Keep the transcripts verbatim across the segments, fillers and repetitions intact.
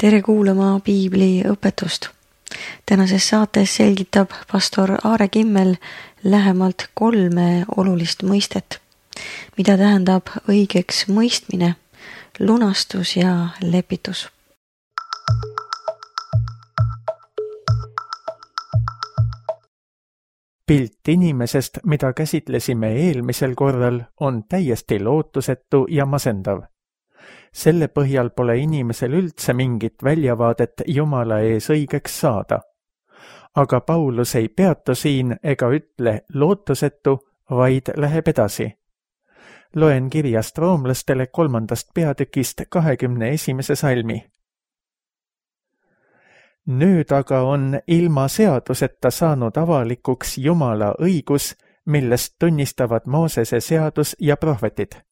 Tere kuulama Piibli õpetust. Tänases saates selgitab pastor Aare Kimmel lähemalt kolme olulist mõistet, mida tähendab õigeks mõistmine, lunastus ja lepitus. Pilt inimesest, mida käsitlesime eelmisel korral, on täiesti lootusetu ja masendav. Selle põhjal pole inimesel üldse mingit väljavaadet Jumala ees õigeks saada. Aga Paulus ei peatu siin ega ütle lootusetu, vaid läheb edasi. Loen kirjast roomlastele kolmandast peatükist kahekümne esimese salmi. Nüüd aga on ilma seaduseta saanud avalikuks Jumala õigus, millest tunnistavad Moosese seadus ja prohvetid.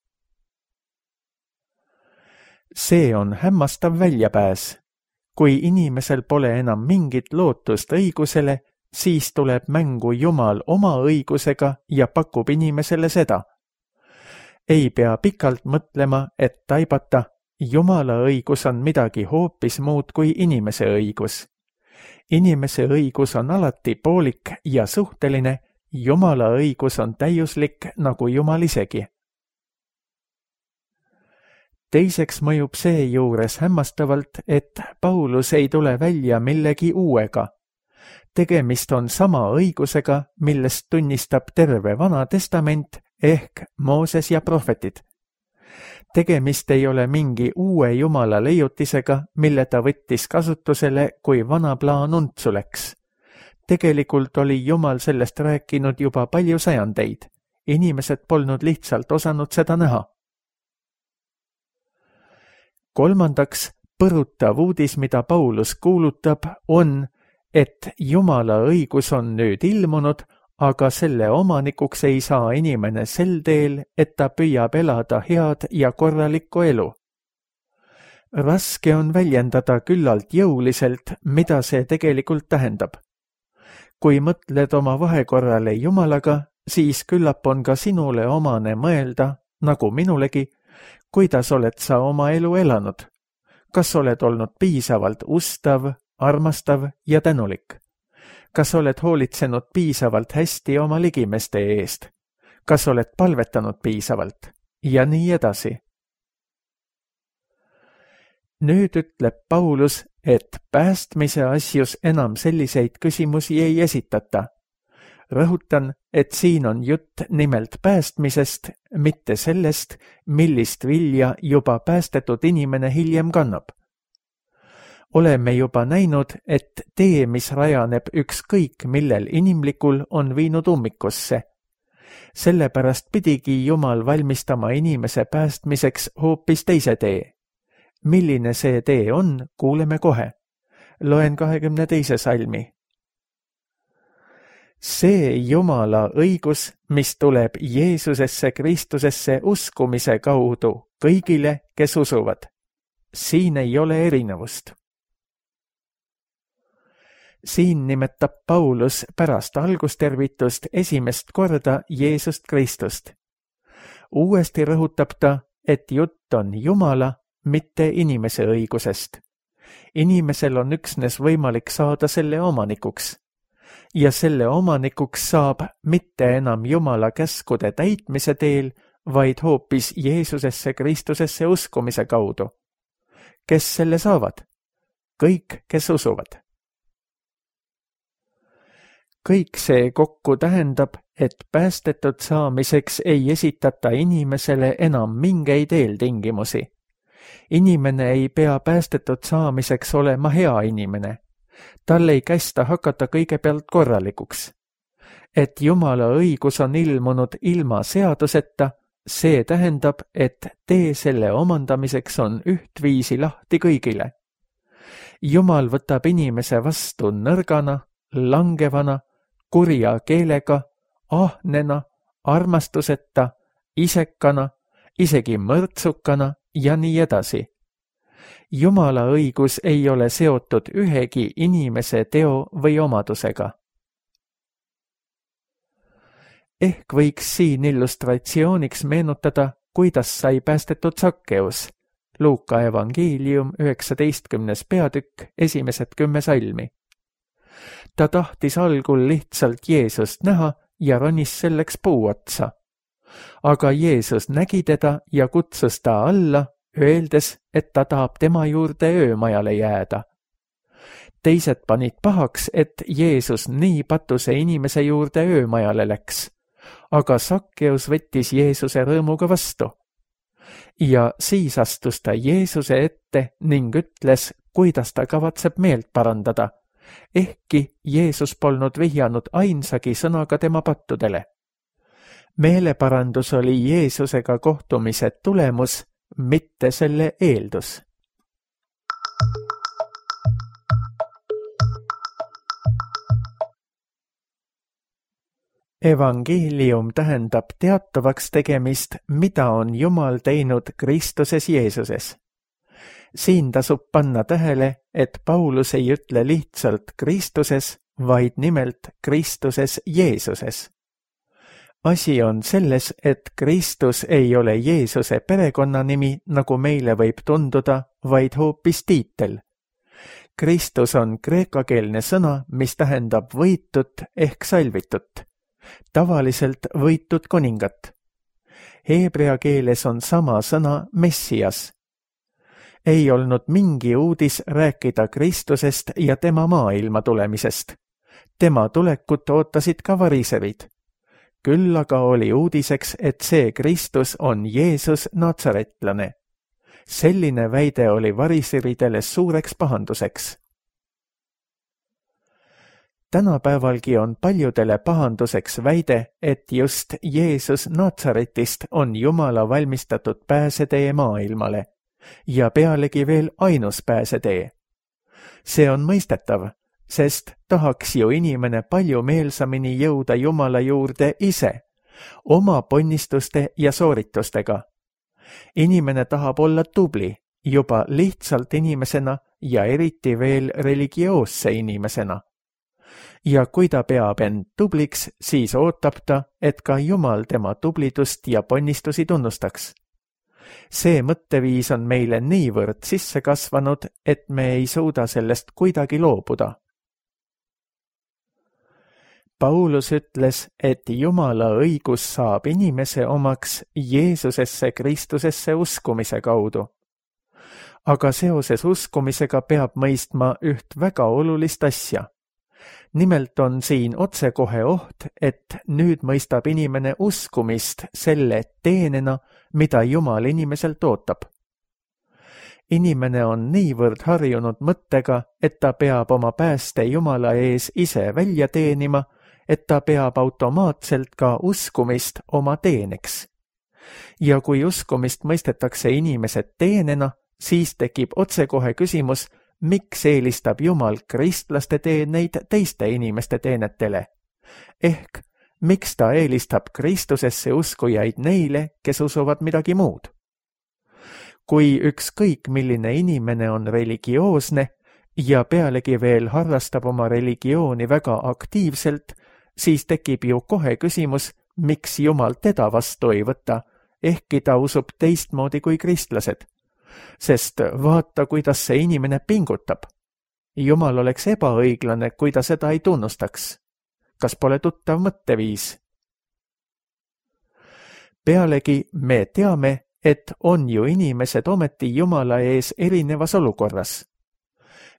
See on hämmastav väljapääs. Kui inimesel pole enam mingit lootust õigusele, siis tuleb mängu Jumal oma õigusega ja pakub inimesele seda. Ei pea pikalt mõtlema, et taibata, Jumala õigus on midagi hoopis muud kui inimese õigus. Inimese õigus on alati poolik ja suhteline, Jumala õigus on täiuslik nagu Jumal isegi. Teiseks mõjub see juures hämmastavalt, et Paulus ei tule välja millegi uuega. Tegemist on sama õigusega, millest tunnistab terve Vana Testament ehk Mooses ja prohvetid. Tegemist ei ole mingi uue Jumala leiutisega, mille ta võttis kasutusele, kui vana plaan untsu läks. Tegelikult oli Jumal sellest rääkinud juba palju sajandeid. Inimesed polnud lihtsalt osanud seda näha. Kolmandaks, põrutav uudis, mida Paulus kuulutab, on, et Jumala õigus on nüüd ilmunud, aga selle omanikuks ei saa inimene sel teel, et ta püüab elada head ja korralikku elu. Raske on väljendada küllalt jõuliselt, mida see tegelikult tähendab. Kui mõtled oma vahekorrale Jumalaga, siis küllap on ka sinule omane mõelda, nagu minulegi, kuidas oled sa oma elu elanud? Kas oled olnud piisavalt ustav, armastav ja tänulik? Kas oled hoolitsenud piisavalt hästi oma ligimeste eest? Kas oled palvetanud piisavalt? Ja nii edasi. Nüüd ütleb Paulus, et päästmise asjus enam selliseid küsimusi ei esitata. Rõhutan, et siin on jutt nimelt päästmisest, mitte sellest, millist vilja juba päästetud inimene hiljem kannab. Oleme juba näinud, et tee, mis rajaneb ükskõik millel inimlikul, on viinud ummikusse. Sellepärast pidigi Jumal valmistama inimese päästmiseks hoopis teise tee. Milline see tee on, kuuleme kohe. Loen kahekümne teise salmi. See Jumala õigus, mis tuleb Jeesusesse Kristusesse uskumise kaudu kõigile, kes usuvad. Siin ei ole erinevust. Siin nimetab Paulus pärast algustervitust esimest korda Jeesust Kristust. Uuesti rõhutab ta, et jutt on Jumala, mitte inimese õigusest. Inimesel on üksnes võimalik saada selle omanikuks. Ja selle omanikuks saab mitte enam Jumala käskude täitmise teel, vaid hoopis Jeesusesse Kristusesse uskumise kaudu. Kes selle saavad? Kõik, kes usuvad. Kõik see kokku tähendab, et päästetud saamiseks ei esitata inimesele enam mingeid eeltingimusi. Inimene ei pea päästetud saamiseks olema hea inimene. Tal ei kästa hakata kõigepealt korralikuks. Et Jumala õigus on ilmunud ilma seaduseta, see tähendab, et tee selle omandamiseks on ühtviisi lahti kõigile. Jumal võtab inimese vastu nõrgana, langevana, kurja keelega, ahnena, armastuseta, isekana, isegi mõrtsukana ja nii edasi. Jumala õigus ei ole seotud ühegi inimese teo või omadusega. Ehk võiks siin illustratsiooniks meenutada, kuidas sai päästetud Sakkeus. Luuka evangeelium üheksateistkümnes peatükk, esimesed kümme salmi. Ta tahtis algul lihtsalt Jeesust näha ja ronis selleks puu otsa. Aga Jeesus nägi teda ja kutsus ta alla, öeldes, et ta tahab tema juurde öömajale jääda. Teised panid pahaks, et Jeesus nii patuse inimese juurde öömajale läks, aga Sakkeus võttis Jeesuse rõõmuga vastu. Ja siis astus ta Jeesuse ette ning ütles, kuidas ta kavatseb meelt parandada, ehkki Jeesus polnud vihjanud ainsagi sõnaga tema pattudele. Meeleparandus oli Jeesusega kohtumise tulemus, mitte selle eeldus. Evangeelium tähendab teatavaks tegemist, mida on Jumal teinud Kristuses Jeesuses. Siin tasub panna tähele, et Paulus ei ütle lihtsalt Kristuses, vaid nimelt Kristuses Jeesuses. Asi on selles, et Kristus ei ole Jeesuse perekonnanimi, nagu meile võib tunduda, vaid hoopis tiitel. Kristus on kreekakeelne sõna, mis tähendab võitut ehk salvitut. Tavaliselt võitud kuningat. Heebrea keeles on sama sõna Messias. Ei olnud mingi uudis rääkida Kristusest ja tema maailma tulemisest. Tema tulekut ootasid ka variserid. Küll aga oli uudiseks, et see Kristus on Jeesus natsaretlane. Selline väide oli variseridele suureks pahanduseks. Tänapäevalgi on paljudele pahanduseks väide, et just Jeesus Natsaretist on Jumala valmistatud pääsetee maailmale ja pealegi veel ainus pääsetee. See on mõistetav, sest tahaks ju inimene palju meelsamini jõuda Jumala juurde ise, oma ponnistuste ja sooritustega. Inimene tahab olla tubli, juba lihtsalt inimesena ja eriti veel religioosse inimesena. Ja kui ta peab end tubliks, siis ootab ta, et ka Jumal tema tublidust ja ponnistusi tunnustaks. See mõtteviis on meile niivõrd sisse kasvanud, et me ei suuda sellest kuidagi loobuda. Paulus ütles, et Jumala õigus saab inimese omaks Jeesusesse Kristusesse uskumise kaudu. Aga seoses uskumisega peab mõistma üht väga olulist asja. Nimelt on siin otsekohe oht, et nüüd mõistab inimene uskumist selle teenena, mida Jumal inimeselt ootab. Inimene on niivõrd harjunud mõttega, et ta peab oma pääste Jumala ees ise välja teenima, et ta peab automaatselt ka uskumist oma teeneks. Ja kui uskumist mõistetakse inimesed teenena, siis tekib otsekohe küsimus, miks eelistab Jumal kristlaste teeneid teiste inimeste teenetele? Ehk, miks ta eelistab Kristusesse uskujaid neile, kes usuvad midagi muud? Kui ükskõik milline inimene on religioosne ja pealegi veel harrastab oma religiooni väga aktiivselt, siis tekib ju kohe küsimus, miks Jumal teda vastu ei võta, ehkki ta usub teistmoodi kui kristlased. Sest vaata, kuidas see inimene pingutab. Jumal oleks ebaõiglane, kui ta seda ei tunnustaks. Kas pole tuttav mõtteviis? Pealegi me teame, et on ju inimesed ometi Jumala ees erinevas olukorras.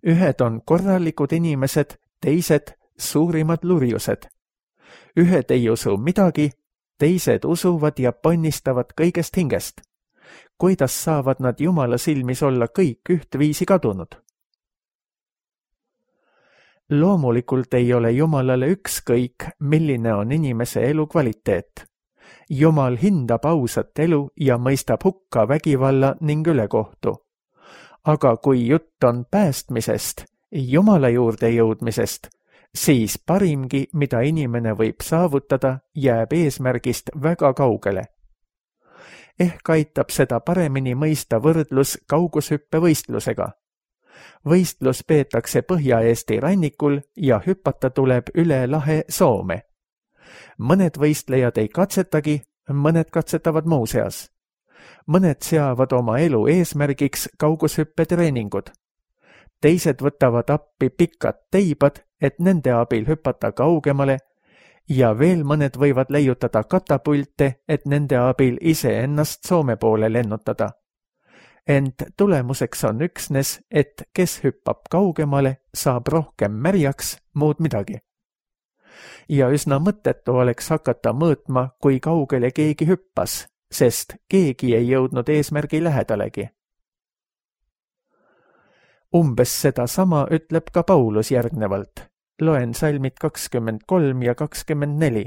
Ühed on korralikud inimesed, teised suurimad lurjused. Ühed ei usu midagi, teised usuvad ja ponnistavad kõigest hingest. Kuidas saavad nad Jumala silmis olla kõik ühtviisi kadunud? Loomulikult ei ole Jumalale ükskõik, milline on inimese elu kvaliteet. Jumal hindab ausat elu ja mõistab hukka vägivalla ning ülekohtu. Aga kui jutt on päästmisest, Jumala juurde jõudmisest, siis parimgi, mida inimene võib saavutada, jääb eesmärgist väga kaugele. Ehk aitab seda paremini mõista võrdlus kaugushüppevõistlusega. Võistlus peetakse Põhja-Eesti rannikul ja hüpata tuleb üle lahe Soome. Mõned võistlejad ei katsetagi, mõned katsetavad muuseas. mõned seavad oma elu eesmärgiks kaugushüppetreeningud. Teised võtavad appi pikad teibad, et nende abil hüpata kaugemale ja veel mõned võivad leiutada katapulte, et nende abil iseennast Soome poole lennutada. Ent tulemuseks on üksnes, et kes hüppab kaugemale, saab rohkem märjaks, muud midagi. Ja üsna mõttetu oleks hakata mõõtma, kui kaugele keegi hüppas, sest keegi ei jõudnud eesmärgi lähedalegi. Umbes seda sama ütleb ka Paulus järgnevalt. Loen salmid kakskümmend kolm ja kakskümmend neli.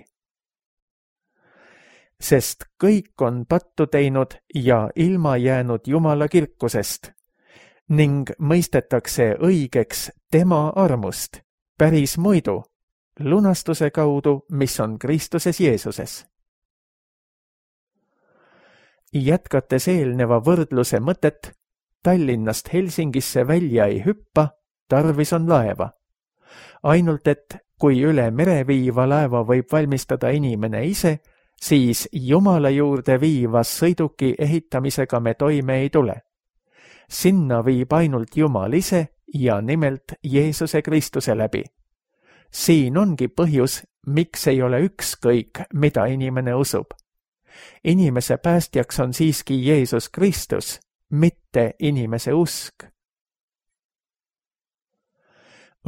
Sest kõik on pattu teinud ja ilma jäänud Jumala kirkusest ning mõistetakse õigeks tema armust, päris muidu, lunastuse kaudu, mis on Kristuses Jeesuses. Jätkates eelneva võrdluse mõtet, Tallinnast Helsingisse välja ei hüppa, tarvis on laeva. Ainult et kui üle mere viiva laeva võib valmistada inimene ise, siis Jumala juurde viivas sõiduki ehitamisega me toime ei tule. Sinna viib ainult Jumal ise ja nimelt Jeesuse Kristuse läbi. Siin ongi põhjus, miks ei ole ükskõik, mida inimene usub. Inimese päästjaks on siiski Jeesus Kristus, mitte inimese usk.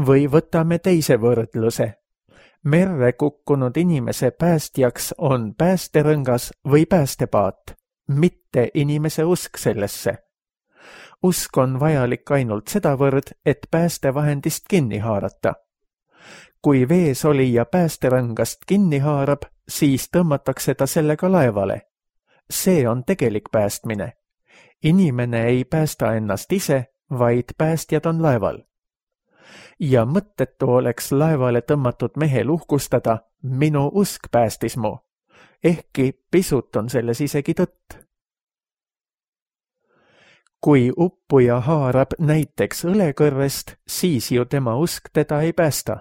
Või võtame teise võrdluse. Merre kukkunud inimese päästjaks on päästerõngas või päästepaat, mitte inimese usk sellesse. Usk on vajalik ainult sedavõrd, et päästevahendist kinni haarata. Kui vees olija päästerõngast kinni haarab, siis tõmmatakse ta sellega laevale. See on tegelik päästmine. Inimene ei päästa ennast ise, vaid päästjad on laeval. Ja mõttetu oleks laevale tõmmatud mehel uhkustada, minu usk päästis mu. Ehkki pisut on selles isegi tõtt. Kui uppuja haarab näiteks õlekõrrest, siis ju tema usk teda ei päästa.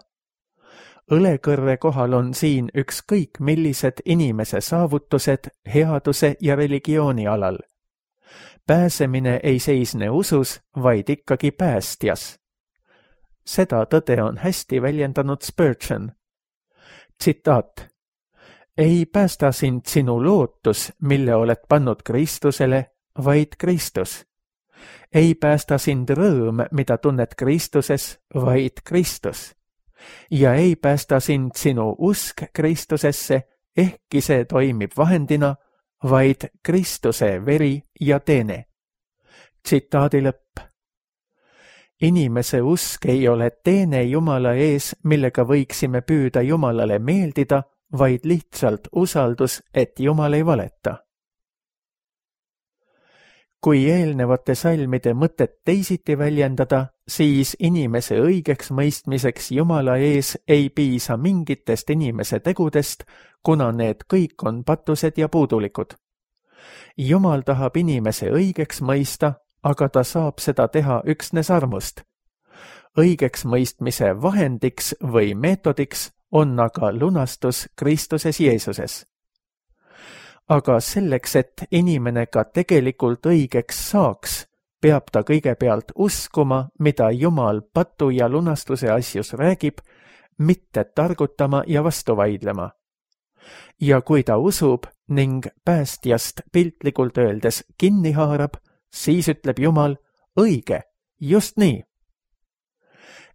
Õlekõrre kohal on siin ükskõik millised inimese saavutused headuse ja religiooni alal. Pääsemine ei seisne usus, vaid ikkagi päästjas. Seda tõde on hästi väljendanud Spurgeon. Tsitaat. Ei päästa sind sinu lootus, mille oled pannud Kristusele, vaid Kristus. Ei päästa sind rõõm, mida tunned Kristuses, vaid Kristus. Ja ei päästa sind sinu usk Kristusesse, ehkki see toimib vahendina, vaid Kristuse veri ja teene. Tsitaadi lõpp. Inimese usk ei ole teene Jumala ees, millega võiksime püüda Jumalale meeldida, vaid lihtsalt usaldus, et Jumal ei valeta. Kui eelnevate salmide mõtet teisiti väljendada, siis inimese õigeks mõistmiseks Jumala ees ei piisa mingitest inimese tegudest, kuna need kõik on patused ja puudulikud. Jumal tahab inimese õigeks mõista, aga ta saab seda teha üksnes armust. Õigeks mõistmise vahendiks või meetodiks on aga lunastus Kristuses Jeesuses. Aga selleks, et inimene ka tegelikult õigeks saaks, peab ta kõigepealt uskuma, mida Jumal patu ja lunastuse asjus räägib, mitte targutama ja vastu vaidlema. Ja kui ta usub ning päästjast piltlikult öeldes kinni haarab, siis ütleb Jumal, õige, just nii.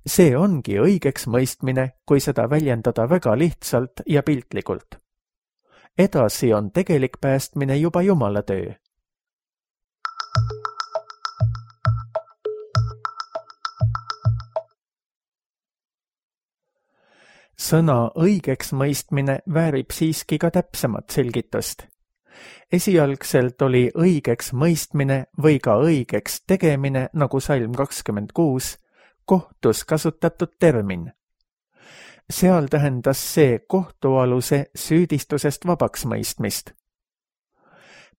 See ongi õigeks mõistmine, kui seda väljendada väga lihtsalt ja piltlikult. Edasi on tegelik päästmine juba Jumala töö. Sõna õigeks mõistmine väärib siiski ka täpsemat selgitust. Esialgselt oli õigeks mõistmine või ka õigeks tegemine, nagu salm kakskümmend kuus, kohtus kasutatud termin. Seal tähendas see kohtualuse süüdistusest vabaks mõistmist.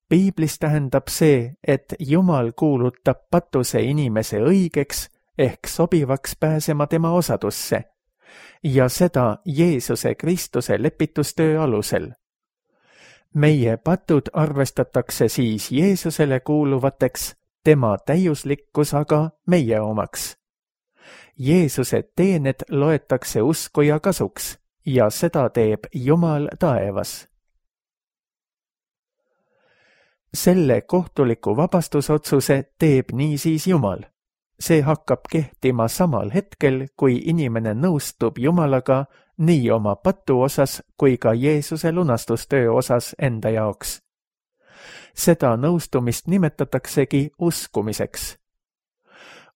Piiblis tähendab see, et Jumal kuulutab patuse inimese õigeks ehk sobivaks pääsema tema osadusse ja seda Jeesuse Kristuse lepitustöö alusel. meie patud arvestatakse siis Jeesusele kuuluvateks, tema täiuslikkus aga meie omaks. Jeesuse teened loetakse uskuja kasuks ja seda teeb Jumal taevas. Selle kohtuliku vabastusotsuse teeb niisiis Jumal. See hakkab kehtima samal hetkel, kui inimene nõustub Jumalaga nii oma patu osas kui ka Jeesuse lunastustöö osas enda jaoks. Seda nõustumist nimetataksegi uskumiseks.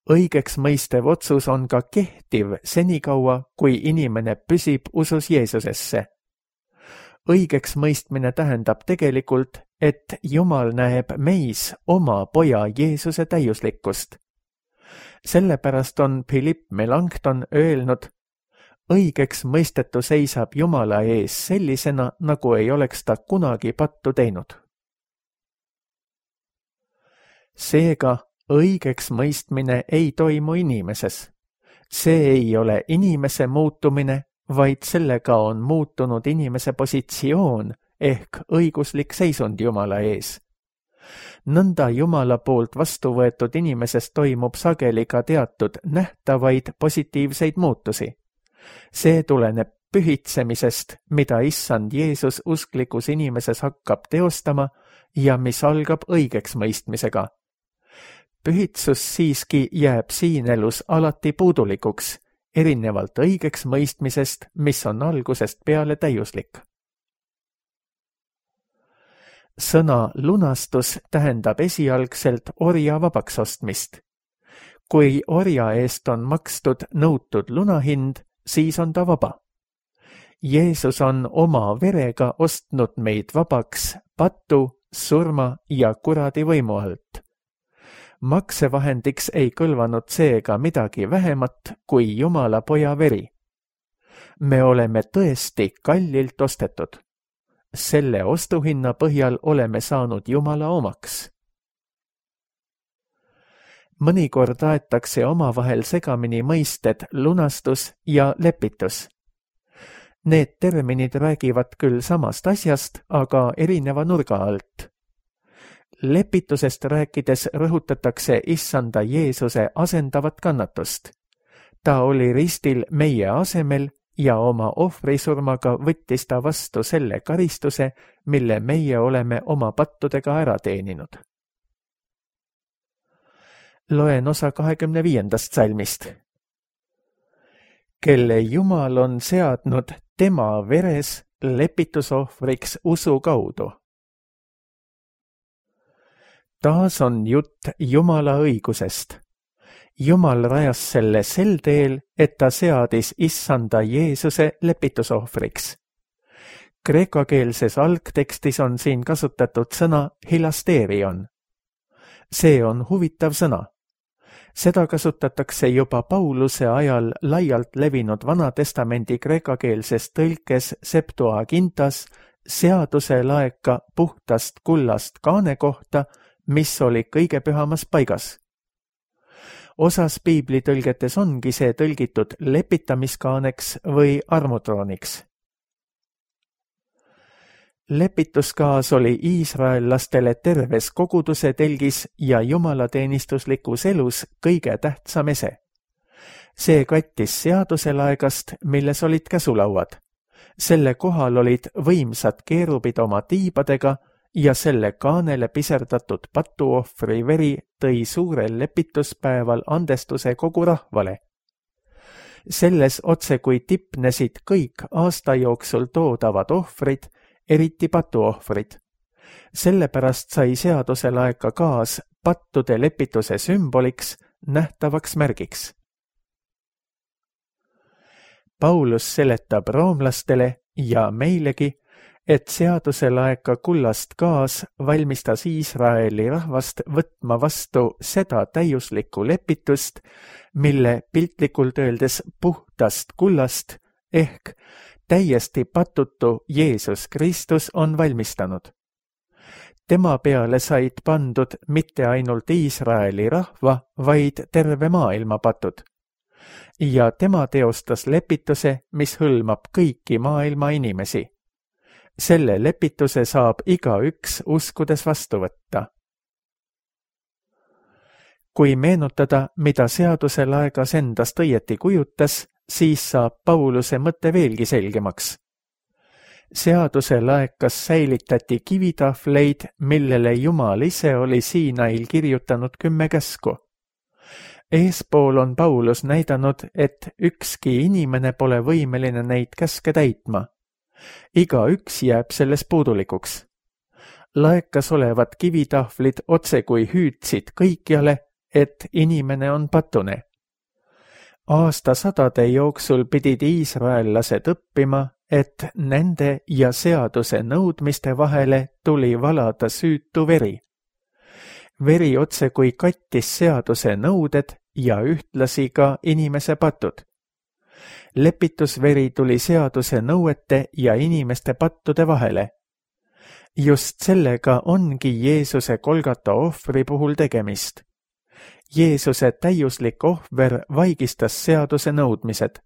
Õigeks mõistev otsus on ka kehtiv senikaua, kui inimene püsib usus Jeesusesse. Õigeks mõistmine tähendab tegelikult, et Jumal näeb meis oma poja Jeesuse täiuslikkust. Sellepärast on Philipp Melanchthon öelnud, õigeks mõistetu seisab Jumala ees sellisena, nagu ei oleks ta kunagi pattu teinud. Seega, õigeks mõistmine ei toimu inimeses. See ei ole inimese muutumine, vaid sellega on muutunud inimese positsioon ehk õiguslik seisund Jumala ees. Nõnda Jumala poolt vastu võetud inimeses toimub sageli ka teatud nähtavaid positiivseid muutusi. See tuleneb pühitsemisest, mida Issand Jeesus usklikus inimeses hakkab teostama ja mis algab õigeks mõistmisega. Pühitsus siiski jääb siin elus alati puudulikuks, erinevalt õigeks mõistmisest, mis on algusest peale täiuslik. Sõna lunastus tähendab esialgselt orja vabaks ostmist. Kui orja eest on makstud nõutud lunahind, siis on ta vaba. Jeesus on oma verega ostnud meid vabaks patu, surma ja kuradi võimu alt. Maksevahendiks ei kõlvanud seega midagi vähemat kui Jumala poja veri. Me oleme tõesti kallilt ostetud. Selle ostuhinna põhjal oleme saanud Jumala omaks. Mõnikord aetakse omavahel segamini mõisted lunastus ja lepitus. Need terminid räägivad küll samast asjast, aga erineva nurga alt. Lepitusest rääkides rõhutatakse Issanda Jeesuse asendavat kannatust. Ta oli ristil meie asemel ja oma ohvrisurmaga võttis ta vastu selle karistuse, mille meie oleme oma pattudega ära teeninud. Loen osa kahekümne viiendast salmist. Kelle Jumal on seadnud tema veres lepitusohvriks usu kaudu. Taas on jutt Jumala õigusest. Jumal rajas selle sel teel, et ta seadis Issanda Jeesuse lepitusohvriks. Kreekakeelses algtekstis on siin kasutatud sõna hilasterion. See on huvitav sõna. Seda kasutatakse juba Pauluse ajal laialt levinud Vanatestamendi kreekakeelses tõlkes Septuagintas seaduse laeka puhtast kullast kaane kohta, mis oli kõige pühamas paigas. Osas piiblitõlgetes ongi see tõlgitud lepitamiskaaneks või armutrooniks. Lepituskaas oli iisraellastele terves koguduse telgis ja jumalateenistuslikus elus kõige tähtsam ese. See kattis seaduselaegast, milles olid käsulauad. Selle kohal olid võimsad keerubid oma tiibadega ja selle kaanele piserdatud patuohvri veri tõi suurel lepituspäeval andestuse kogu rahvale. Selles otse kui tipnesid kõik aasta jooksul toodavad ohvrid, eriti patuohvrid. Sellepärast sai seaduselaeka kaas pattude lepituse sümboliks, nähtavaks märgiks. Paulus seletab roomlastele ja meilegi, et seaduselaeka kullast kaas valmistas Iisraeli rahvast võtma vastu seda täiuslikku lepitust, mille piltlikult öeldes puhtast kullast ehk täiesti patutu Jeesus Kristus on valmistanud. Tema peale said pandud mitte ainult Iisraeli rahva, vaid terve maailma patud. Ja tema teostas lepituse, mis hõlmab kõiki maailma inimesi. Selle lepituse saab igaüks uskudes vastu võtta. Kui meenutada, mida seaduse laegas endast õieti kujutas, siis saab Pauluse mõte veelgi selgemaks. Seaduse laekas säilitati kivitahvleid, millele Jumal ise oli Siinail kirjutanud kümme käsku. Eespool on Paulus näidanud, et ükski inimene pole võimeline neid käske täitma. Igaüks jääb selles puudulikuks. Laekas olevad kivitahvlid otse kui hüüdsid kõikjale, et inimene on patune. Aastasadade jooksul pidid iisraellased õppima, et nende ja seaduse nõudmiste vahele tuli valada süütu veri. Veri otse kui kattis seaduse nõuded ja ühtlasi ka inimese patud. Lepitusveri tuli seaduse nõuete ja inimeste pattude vahele. Just sellega ongi Jeesuse Golgata ohvri puhul tegemist. Jeesuse täiuslik ohver vaigistas seaduse nõudmised.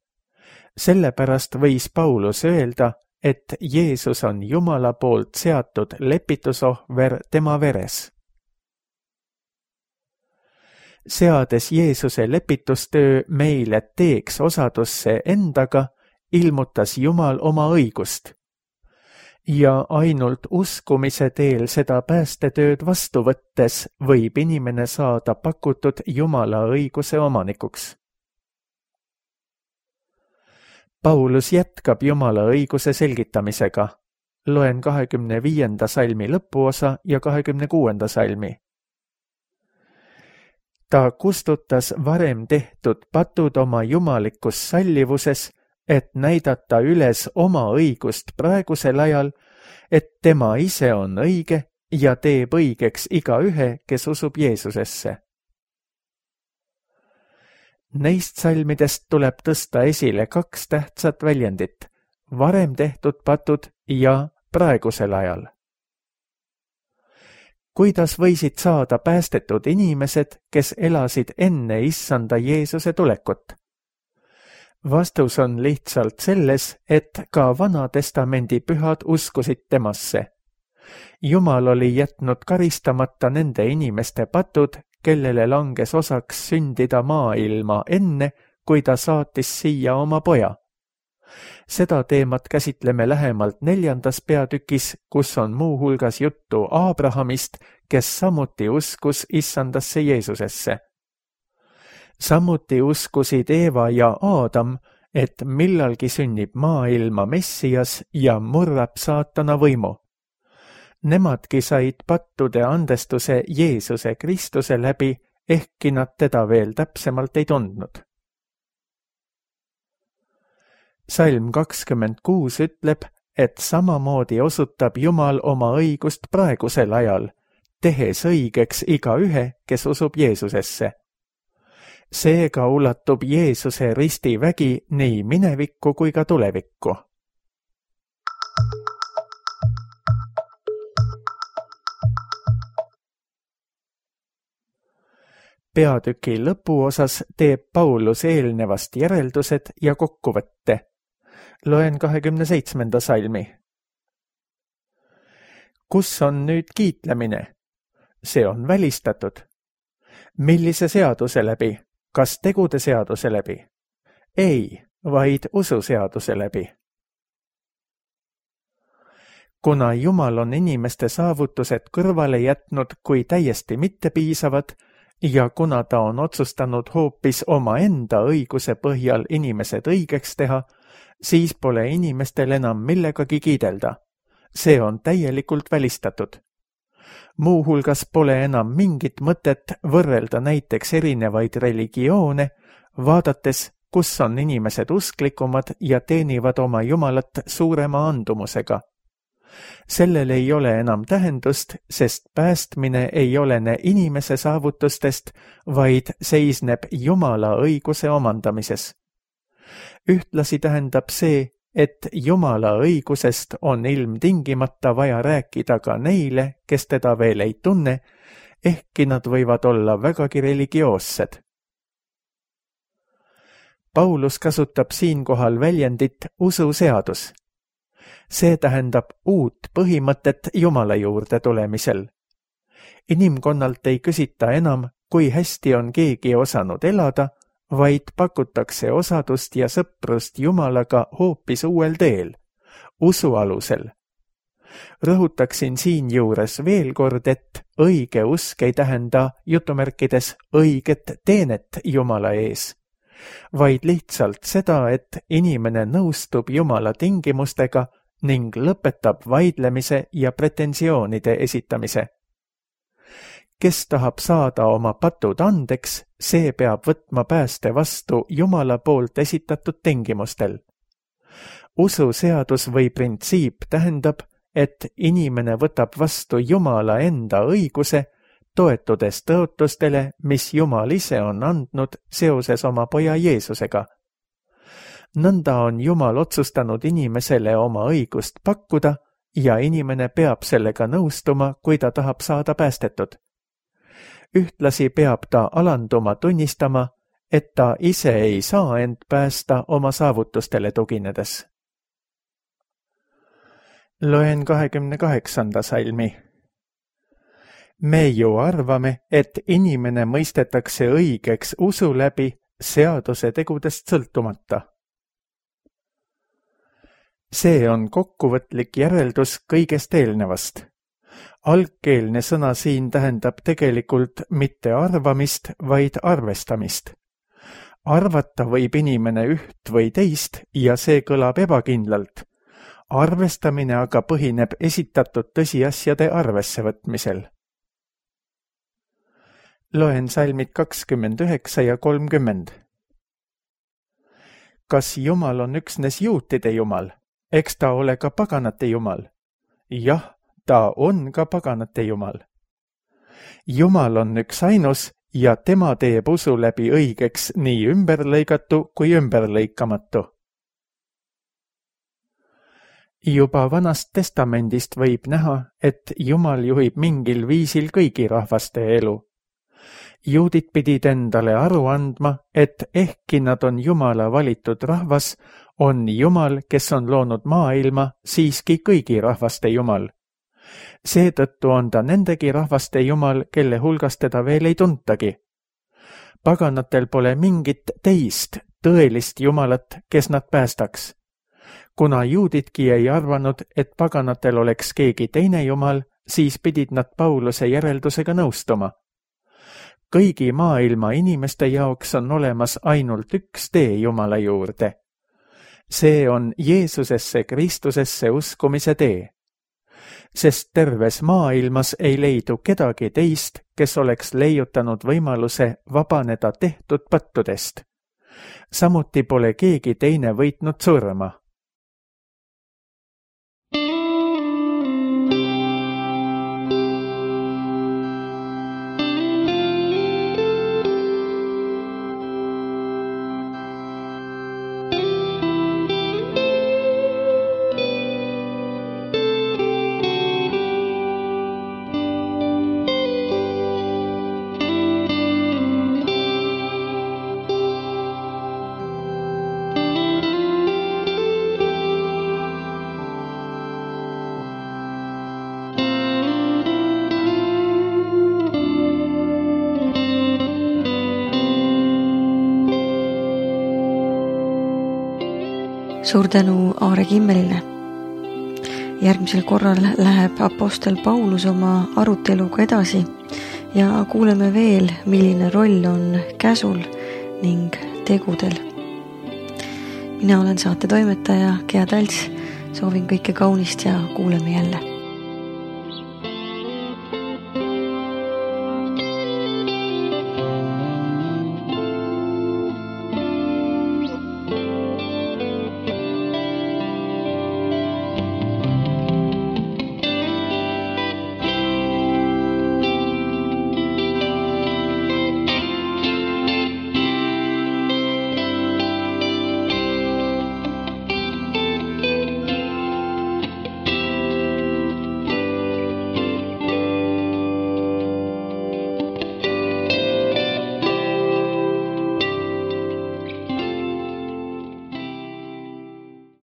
Sellepärast võis Paulus öelda, et Jeesus on Jumala poolt seatud lepitusohver tema veres. Seades Jeesuse lepitustöö meile teeks osadusse endaga, ilmutas Jumal oma õigust. Ja ainult uskumise teel seda päästetööd vastu võttes võib inimene saada pakutud Jumala õiguse omanikuks. Paulus jätkab Jumala õiguse selgitamisega. Loen kahekümne viienda salmi lõpuosa ja kahekümne kuuenda salmi. Ta kustutas varem tehtud patud oma jumalikus sallivuses, et näidata üles oma õigust praegusel ajal, et tema ise on õige ja teeb õigeks igaühe, kes usub Jeesusesse. Neist salmidest tuleb tõsta esile kaks tähtsat väljendit, varem tehtud patud ja praegusel ajal. Kuidas võisid saada päästetud inimesed, kes elasid enne issanda Jeesuse tulekut? Vastus on lihtsalt selles, et ka Vana Testamendi pühad uskusid temasse. Jumal oli jätnud karistamata nende inimeste patud, kellele langes osaks sündida maailma enne, kui ta saatis siia oma poja. Seda teemat käsitleme lähemalt neljandas peatükis, kus on muu hulgas juttu Aabrahamist, kes samuti uskus issandasse Jeesusesse. Samuti uskusid Eeva ja Aadam, et millalgi sünnib maailma Messias ja murrab saatana võimu. Nemadki said pattude andestuse Jeesuse Kristuse läbi, ehkki nad teda veel täpsemalt ei tundnud. Salm kakskümmend kuus ütleb, et samamoodi osutab Jumal oma õigust praegusel ajal, tehes õigeks igaühe, kes usub Jeesusesse. Seega ulatub Jeesuse ristivägi nii minevikku kui ka tulevikku. Peatüki lõpuosas teeb Paulus eelnevast järeldused ja kokkuvõtte. Loen kahekümne seitsmenda salmi. Kus on nüüd kiitlemine? See on välistatud. Millise seaduse läbi? Kas tegude seaduse läbi? Ei, vaid ususeaduse läbi. Kuna Jumal on inimeste saavutused kõrvale jätnud kui täiesti mittepiisavad ja kuna ta on otsustanud hoopis oma enda õiguse põhjal inimesed õigeks teha, siis pole inimestel enam millegagi kiidelda. See on täielikult välistatud. Muu hulgas pole enam mingit mõtet võrrelda näiteks erinevaid religioone, vaadates, kus on inimesed usklikumad ja teenivad oma Jumalat suurema andumusega. Sellel ei ole enam tähendust, sest päästmine ei olene inimese saavutustest, vaid seisneb Jumala õiguse omandamises. Ühtlasi tähendab see, et Jumala õigusest on ilmtingimata vaja rääkida ka neile, kes teda veel ei tunne, ehkki nad võivad olla vägagi religioossed. Paulus kasutab siinkohal väljendit ususeadus. See tähendab uut põhimõtet Jumala juurde tulemisel. Inimkonnalt ei küsita enam, kui hästi on keegi osanud elada, vaid pakutakse osadust ja sõprust Jumalaga hoopis uuel teel, usu alusel. Rõhutaksin siinjuures veel kord, et õige usk ei tähenda jutumärkides õiget teenet Jumala ees, vaid lihtsalt seda, et inimene nõustub Jumala tingimustega ning lõpetab vaidlemise ja pretensioonide esitamise. Kes tahab saada oma patud andeks, see peab võtma pääste vastu Jumala poolt esitatud tingimustel. Ususeadus või printsiip tähendab, et inimene võtab vastu Jumala enda õiguse, toetudes tõotustele, mis Jumal ise on andnud seoses oma poja Jeesusega. Nõnda on Jumal otsustanud inimesele oma õigust pakkuda ja inimene peab sellega nõustuma, kui ta tahab saada päästetud. Ühtlasi peab ta alanduma tunnistama, et ta ise ei saa end päästa oma saavutustele tuginedes. Loen kahekümne kaheksanda salmi. Me ju arvame, et inimene mõistetakse õigeks usu läbi seaduse tegudest sõltumata. See on kokkuvõtlik järeldus kõigest eelnevast. Algkeelne sõna siin tähendab tegelikult mitte arvamist, vaid arvestamist. Arvata võib inimene üht või teist ja see kõlab ebakindlalt. Arvestamine aga põhineb esitatud tõsiasjade arvesse võtmisel. Loen salmid kakskümmend üheksa ja kolmkümmend. Kas Jumal on üksnes juutide Jumal? Eks ta ole ka paganate Jumal? Jah, ta on ka paganate Jumal. Jumal on üks ainus ja tema teeb usu läbi õigeks nii ümberlõigatu kui ümberlõikamatu. Juba Vanast Testamendist võib näha, et Jumal juhib mingil viisil kõigi rahvaste elu. Juudid pidid endale aru andma, et ehkki nad on Jumala valitud rahvas, on Jumal, kes on loonud maailma, siiski kõigi rahvaste Jumal. Seetõttu on ta nendegi rahvaste Jumal, kelle hulgas teda veel ei tuntagi. Paganatel pole mingit teist tõelist Jumalat, kes nad päästaks. Kuna juudidki ei arvanud, et paganatel oleks keegi teine Jumal, siis pidid nad Pauluse järeldusega nõustuma. Kõigi maailma inimeste jaoks on olemas ainult üks tee Jumala juurde. See on Jeesusesse Kristusesse uskumise tee. Sest terves maailmas ei leidu kedagi teist, kes oleks leiutanud võimaluse vabaneda tehtud pattudest. Samuti pole keegi teine võitnud surma. Suur tänu Aare Kimmelile. Järgmisel korral läheb apostel Paulus oma aruteluga edasi ja kuuleme veel, milline roll on käsul ning tegudel. Mina olen saate toimetaja Gea Talts, soovin kõike kaunist ja kuuleme jälle.